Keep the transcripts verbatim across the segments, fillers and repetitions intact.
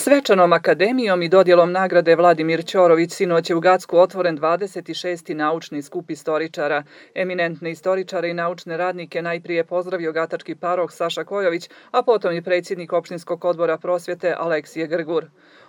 Svečanom akademijom i dodjelom nagrade Vladimir Ćorović sinoć je u Gacku otvoren dvadeset šesti naučni skup istoričara. Eminentne istoričare i naučne radnike najprije pozdravio gatački paroh Saša Kojović, a potom i predsjednik opštinskog odbora prosvjete Aleksije Grgur.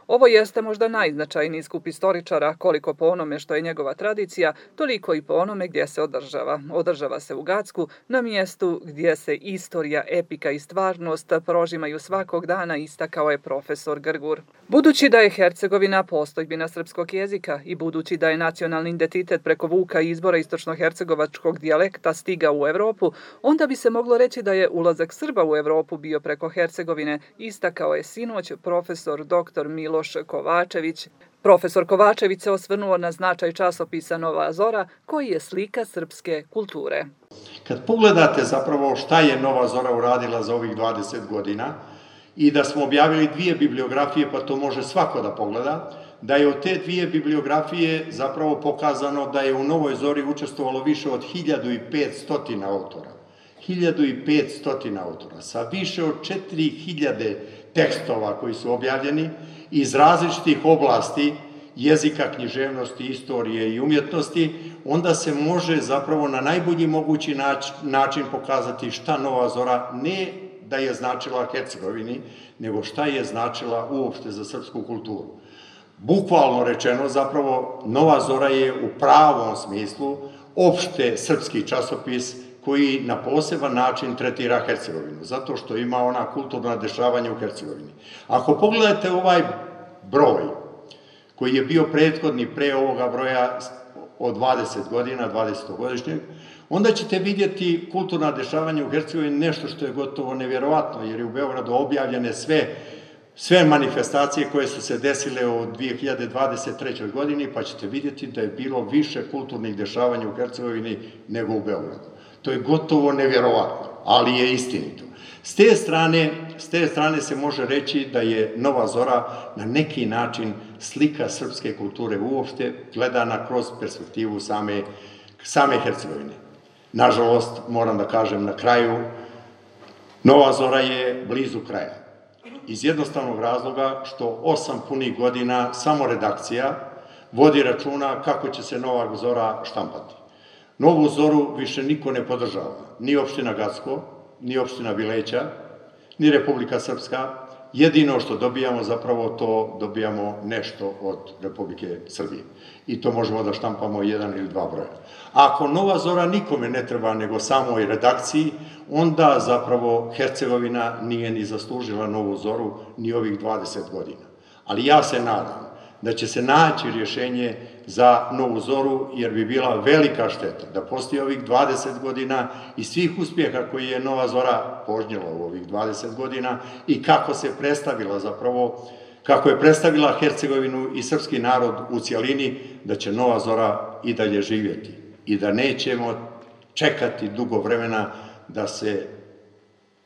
Ovo jeste možda najznačajniji skup istoričara, koliko po onome što je njegova tradicija, toliko i po onome gdje se održava. Održava se u Gacku, na mjestu gdje se istorija, epika i stvarnost prožimaju svakog dana, istakao je profesor Grgur. Budući da je Hercegovina postojbina srpskog jezika i budući da je nacionalni identitet preko Vuka i izbora istočnohercegovačkog dijalekta stigao u Evropu, onda bi se moglo reći da je ulazak Srba u Evropu bio preko Hercegovine, istakao je sinoć profesor doktor Milo Kovačević. Profesor Kovačević se osvrnuo na značaj časopisa Nova Zora, koji je slika srpske kulture. Kad pogledate zapravo šta je Nova Zora uradila za ovih dvadeset godina i da smo objavili dvije bibliografije, pa to može svako da pogleda, da je od te dvije bibliografije zapravo pokazano da je u Novoj Zori učestvovalo više od hiljadu petsto autora. hiljadu petsto autora sa više od četiri hiljade tekstova koji su objavljeni iz različitih oblasti jezika, književnosti, istorije i umjetnosti, onda se može zapravo na najbolji mogući način pokazati šta Nova Zora ne da je značila Hercegovini, nego šta je značila uopšte za srpsku kulturu. Bukvalno rečeno, zapravo, Nova Zora je u pravom smislu opšte srpski časopis koji na poseban način tretira Hercegovinu, zato što ima ona kulturna dešavanja u Hercegovini. Ako pogledate ovaj broj, koji je bio prethodni pre ovoga broja od dvadeset godina, dvadesetogodišnjeg, onda ćete vidjeti kulturna dešavanja u Hercegovini, nešto što je gotovo nevjerovatno, jer je u Beogradu objavljene sve sve manifestacije koje su se desile u dve hiljade dvadeset trećoj godini, pa ćete vidjeti da je bilo više kulturnih dešavanja u Hercegovini nego u Beogradu. To je gotovo nevjerovatno, ali je istinito. S te strane, s te strane se može reći da je Nova Zora na neki način slika srpske kulture uopšte, gledana kroz perspektivu same, same Hercegovine. Nažalost, moram da kažem na kraju, Nova Zora je blizu kraja. Iz jednostavnog razloga što osam punih godina samo redakcija vodi računa kako će se Nova Zora štampati. Novu Zoru više niko ne podržava, ni opština Gacko, ni opština Bileća, ni Republika Srpska. Jedino što dobijamo, zapravo to dobijamo nešto od Republike Srbije. I to možemo da štampamo jedan ili dva broja. Ako Nova Zora nikome ne treba nego samoj redakciji, onda zapravo Hercegovina nije ni zaslužila Novu Zoru ni ovih dvadeset godina. Ali ja se nadam da će se naći rješenje za Novu Zoru, jer bi bila velika šteta da postoji ovih dvadeset godina i svih uspjeha koji je Nova Zora požnjela u ovih dvadeset godina i kako se predstavila zapravo, kako je predstavila Hercegovinu i srpski narod u cijelini, da će Nova Zora i dalje živjeti i da nećemo čekati dugo vremena da se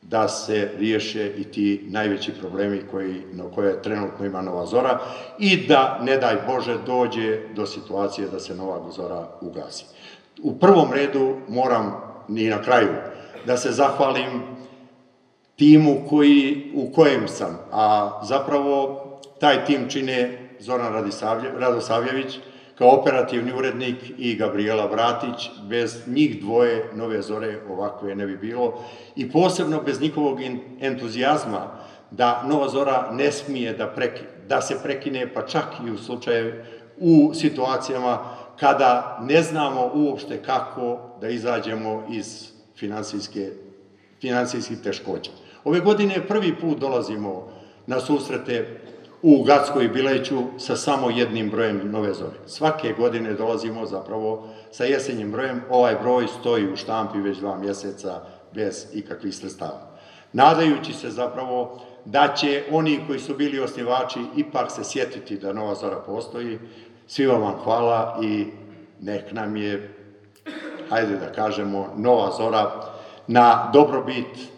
da se riješe i ti najveći problemi koji, na koje trenutno ima Nova Zora i da, ne daj Bože, dođe do situacije da se Nova Zora ugasi. U prvom redu moram, i na kraju, da se zahvalim timu koji, u kojem sam, a zapravo taj tim čine Zoran Radosavljević, kao operativni urednik i Gabriela Vratić. Bez njih dvoje Nove Zore ovakve ne bi bilo i posebno bez njihovog entuzijazma da Nova Zora ne smije da, preki, da se prekine, pa čak i u slučaju, u situacijama kada ne znamo uopšte kako da izađemo iz finansijske, finansijskih teškoća. Ove godine prvi put dolazimo na susrete u Gacko i Bileću sa samo jednim brojem Nove Zore. Svake godine dolazimo zapravo sa jesenjim brojem. Ovaj broj stoji u štampi već dva mjeseca bez ikakvih sredstava. Nadajući se zapravo da će oni koji su bili osnivači ipak se sjetiti da Nova Zora postoji. Svima vam hvala i nek nam je, hajde da kažemo, Nova Zora na dobrobit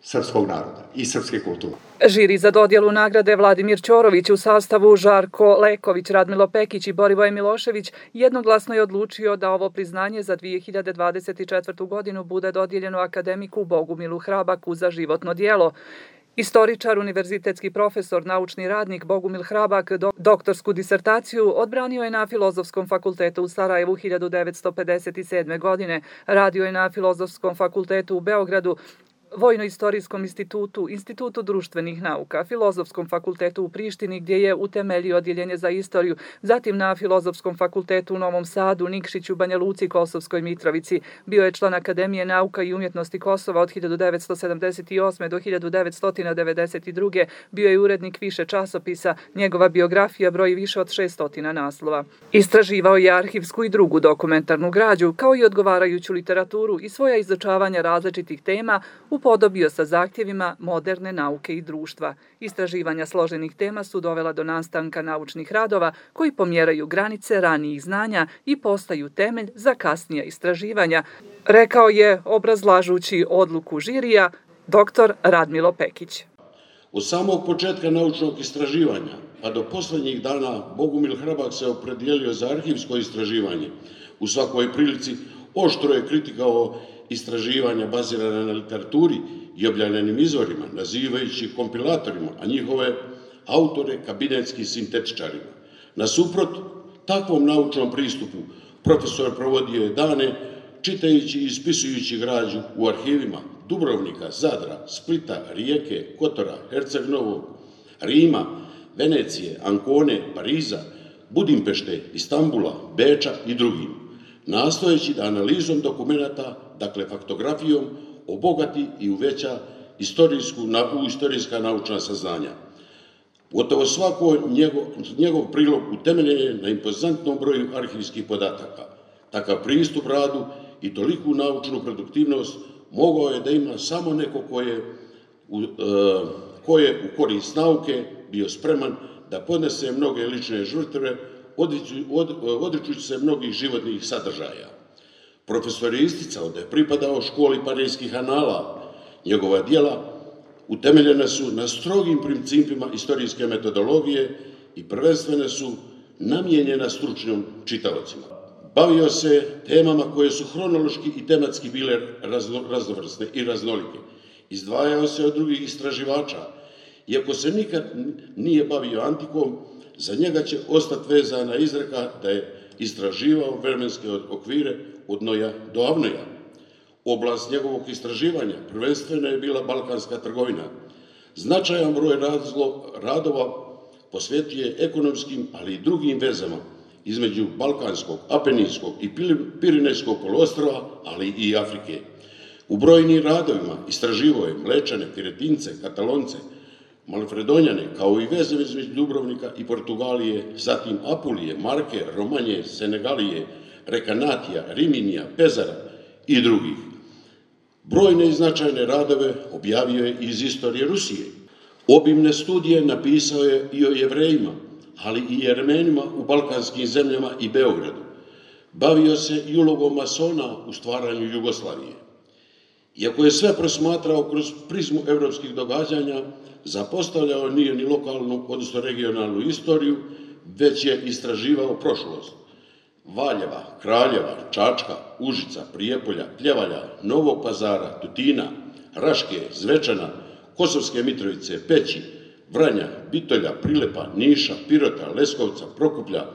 srpskog naroda i srpske kulture. Žiri za dodjelu nagrade Vladimir Ćorović u sastavu Žarko Leković, Radmilo Pekić i Borivoje Milošević jednoglasno je odlučio da ovo priznanje za dvije hiljade dvadeset četvrtu godinu bude dodijeljeno akademiku Bogumilu Hrabaku za životno djelo. Istoričar, univerzitetski profesor, naučni radnik Bogumil Hrabak doktorsku disertaciju odbranio je na Filozofskom fakultetu u Sarajevu hiljadu devetsto pedeset sedme. godine. Radio je na Filozofskom fakultetu u Beogradu, Vojno-istorijskom institutu, Institutu društvenih nauka, Filozofskom fakultetu u Prištini gdje je utemeljio odjeljenje za istoriju, zatim na Filozofskom fakultetu u Novom Sadu, Nikšiću, Banja Luci, Kosovskoj Mitrovici. Bio je član Akademije nauka i umjetnosti Kosova od hiljadu devetsto sedamdeset osme. do hiljadu devetsto devedeset druge. Bio je urednik više časopisa, njegova biografija broji više od šessto naslova. Istraživao je arhivsku i drugu dokumentarnu građu, kao i odgovarajuću literaturu i svoja izučavanja različitih tema upodobio sa zahtjevima moderne nauke i društva. Istraživanja složenih tema su dovela do nastanka naučnih radova koji pomjeraju granice ranijih znanja i postaju temelj za kasnija istraživanja, rekao je, obrazlažući odluku žirija, doktor Radmilo Pekić. Od samog početka naučnog istraživanja, pa do posljednjih dana, Bogumil Hrabak se opredijelio za arhivsko istraživanje. U svakoj prilici oštro je kritikao istraživanja bazirane na literaturi i objavljenim izvorima, nazivajući kompilatorima, a njihove autore kabinetskim sintetičarima. Nasuprot takvom naučnom pristupu, profesor provodio je dane čitajući i ispisujući građu u arhivima Dubrovnika, Zadra, Splita, Rijeke, Kotora, Herceg Novog, Rima, Venecije, Ancone, Pariza, Budimpešte, Istambula, Beča i drugim, nastojeći da analizom dokumenata, dakle faktografijom, obogati i uveća istorijsku, u istorijska naučna saznanja. Gotovo svako njegov, njegov prilog utemeljen je na impozantnom broju arhivskih podataka. Takav pristup radu i toliku naučnu produktivnost mogao je da ima samo neko ko je u, e, ko je u korist nauke bio spreman da podnese mnoge lične žrtve, odričući se mnogih životnih sadržaja. Profesor je isticao da je pripadao školi parijskih anala. Njegova djela utemeljena su na strogim principima istorijske metodologije i prvenstveno su namijenjena stručnim čitaocima. Bavio se temama koje su hronološki i tematski bile raznovrsne i raznolike. Izdvajao se od drugih istraživača. Iako se nikad nije bavio antikom, za njega će ostati vezana izreka da je istraživao vremenske okvire od Noja do Avnoja. Oblast njegovog istraživanja prvenstveno je bila balkanska trgovina. Značajan broj radova posvetio je ekonomskim, ali i drugim vezama između Balkanskog, Apeninskog i Pirinejskog poluostrva, ali i Afrike. U brojnim radovima istraživao je Mlečane, Piretince, Katalonce, Malfredonjane, kao i veze između Dubrovnika i Portugalije, zatim Apulije, Marke, Romanje, Senegalije, Rekanatija, Riminija, Pezara i drugih. Brojne i značajne radove objavio je iz istorije Rusije. Obimne studije napisao je i o Jevrejima, ali i Jermenima u balkanskim zemljama i Beogradu. Bavio se i ulogom masona u stvaranju Jugoslavije. Iako je sve prosmatrao kroz prizmu evropskih događanja, zapostavljao nije ni lokalnu, odnosno regionalnu istoriju, već je istraživao prošlost. Valjeva, Kraljeva, Čačka, Užica, Prijepolja, Pljevalja, Novog Pazara, Tutina, Raške, Zvečana, Kosovske Mitrovice, Peći, Vranja, Bitolja, Prilepa, Niša, Pirota, Leskovca, Prokuplja,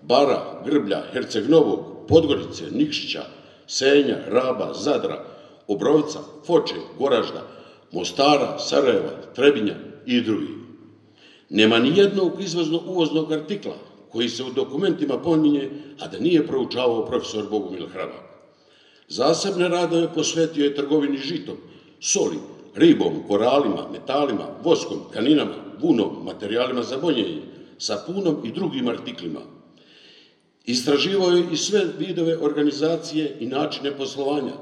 Bara, Grblja, Herceg Novog, Podgorice, Nikšića, Senja, Raba, Zadra, Obrovca, Foče, Goražda, Mostara, Sarajeva, Trebinja i drugih. Nema ni jednog izvozno-uvoznog artikla koji se u dokumentima pominje, a da nije proučavao profesor Bogumil Hrabak. Zasebne radove posvetio je trgovini žitom, soli, ribom, koralima, metalima, voskom, kaninama, vunom, materijalima za bonjenje, sapunom i drugim artiklima. Istraživao je i sve vidove organizacije i načine poslovanja,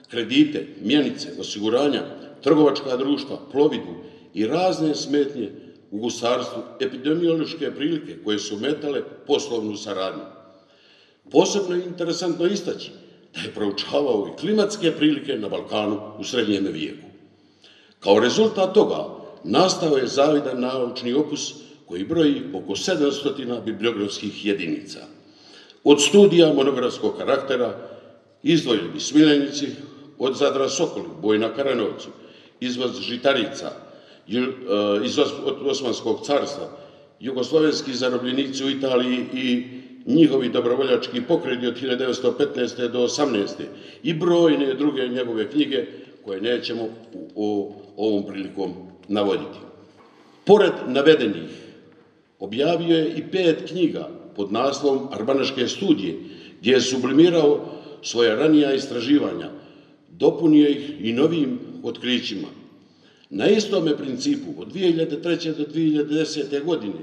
kredite, mjenice, osiguranja, trgovačka društva, plovidbu i razne smetnje u gusarstvu, epidemiološke prilike koje su metale poslovnu saradnju. Posebno je interesantno istaći da je proučavao i klimatske prilike na Balkanu u srednjem vijeku. Kao rezultat toga nastao je zavidan naučni opus koji broji oko sedamsto bibliografskih jedinica. Od studija monografskog karaktera izdvojili bi Smiljenici, od Zadra Sokoli, Boj na Karanovcu, izvoz žitarica, iz Osmanskog carstva, jugoslovenski zarobljenici u Italiji i njihovi dobrovoljački pokreti od hiljadu devetsto petnaeste. do osamnaeste. i brojne druge njegove knjige koje nećemo u ovom prilikom navoditi. Pored navedenih, objavio je i pet knjiga pod naslovom Arbanaške studije, gdje je sublimirao svoja ranija istraživanja, dopunio ih i novim otkrićima. Na istome principu, od dvije hiljade treće. do dvije hiljade desete. godine,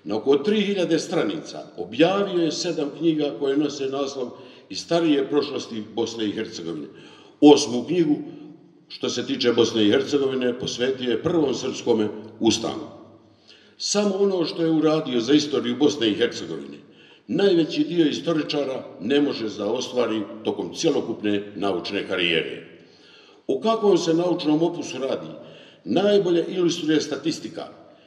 na oko tri hiljade stranica, objavio je sedam knjiga koje nose naslov Iz starije prošlosti Bosne i Hercegovine. Osmu knjigu, što se tiče Bosne i Hercegovine, posvetio je prvom srpskome ustanu. Samo ono što je uradio za istoriju Bosne i Hercegovine, najveći dio istoričara ne može da ostvari tokom cjelokupne naučne karijere. O kakvom se naučnom opusu radi, najbolje ilustruje statistika.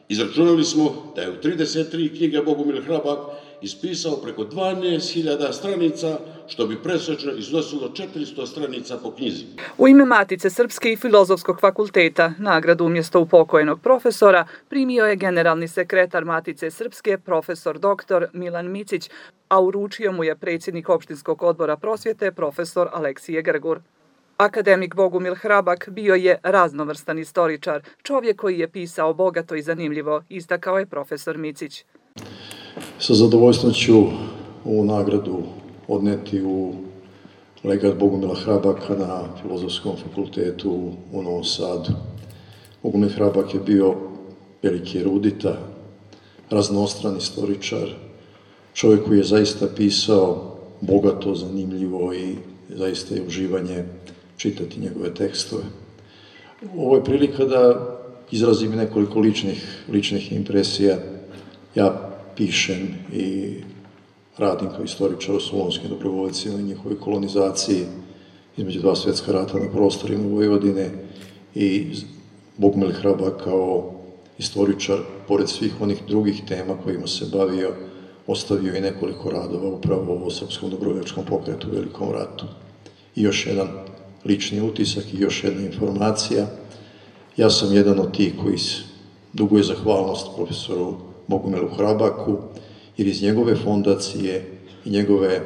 Izračunali smo da je u trideset tri knjige Bogumil Hrabak ispisao preko dvanaest hiljada stranica, što bi presečno iznosilo četiristo stranica po knjizi. U ime Matice Srpske i Filozofskog fakulteta nagradu umjesto upokojenog profesora primio je generalni sekretar Matice Srpske, profesor doktor Milan Micić, a uručio mu je predsjednik opštinskog odbora prosvjete, profesor Aleksije Grgur. Akademik Bogumil Hrabak bio je raznovrstan istoričar, čovjek koji je pisao bogato i zanimljivo, istakao je profesor Micić. Sa zadovoljstvom ću ovu nagradu odneti u legat Bogumila Hrabaka na Filozofskom fakultetu u Novom Sadu. Bogumil Hrabak je bio veliki erudita, raznostran istoričar, čovjek koji je zaista pisao bogato, zanimljivo i zaista je uživanje čitati njegove tekstove. Ovo je prilika da izrazim nekoliko ličnih, ličnih impresija. Ja pišem i radim kao istoričar o solonskim dobrovoljcima i njihovoj kolonizaciji između dva svjetska rata na prostorima Vojvodine i Bogumil Hrabak kao istoričar, pored svih onih drugih tema kojima se bavio, ostavio i nekoliko radova upravo o srpskom dobrovoljačkom pokretu u Velikom ratu. I još jedan lični utisak i još jedna informacija. Ja sam jedan od tih koji duguje zahvalnost profesoru Bogumilu Hrabaku, jer iz njegove fondacije i njegove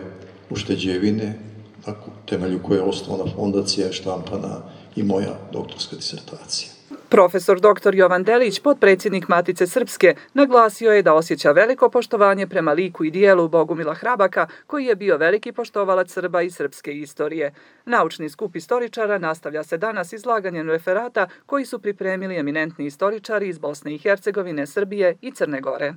ušteđevine, na temelju koje je osnovana fondacija, je štampana i moja doktorska disertacija. Profesor doktor Jovan Delić, potpredsjednik Matice Srpske, naglasio je da osjeća veliko poštovanje prema liku i dijelu Bogumila Hrabaka, koji je bio veliki poštovalac Srba i srpske istorije. Naučni skup istoričara nastavlja se danas izlaganjem referata koji su pripremili eminentni istoričari iz Bosne i Hercegovine, Srbije i Crne Gore.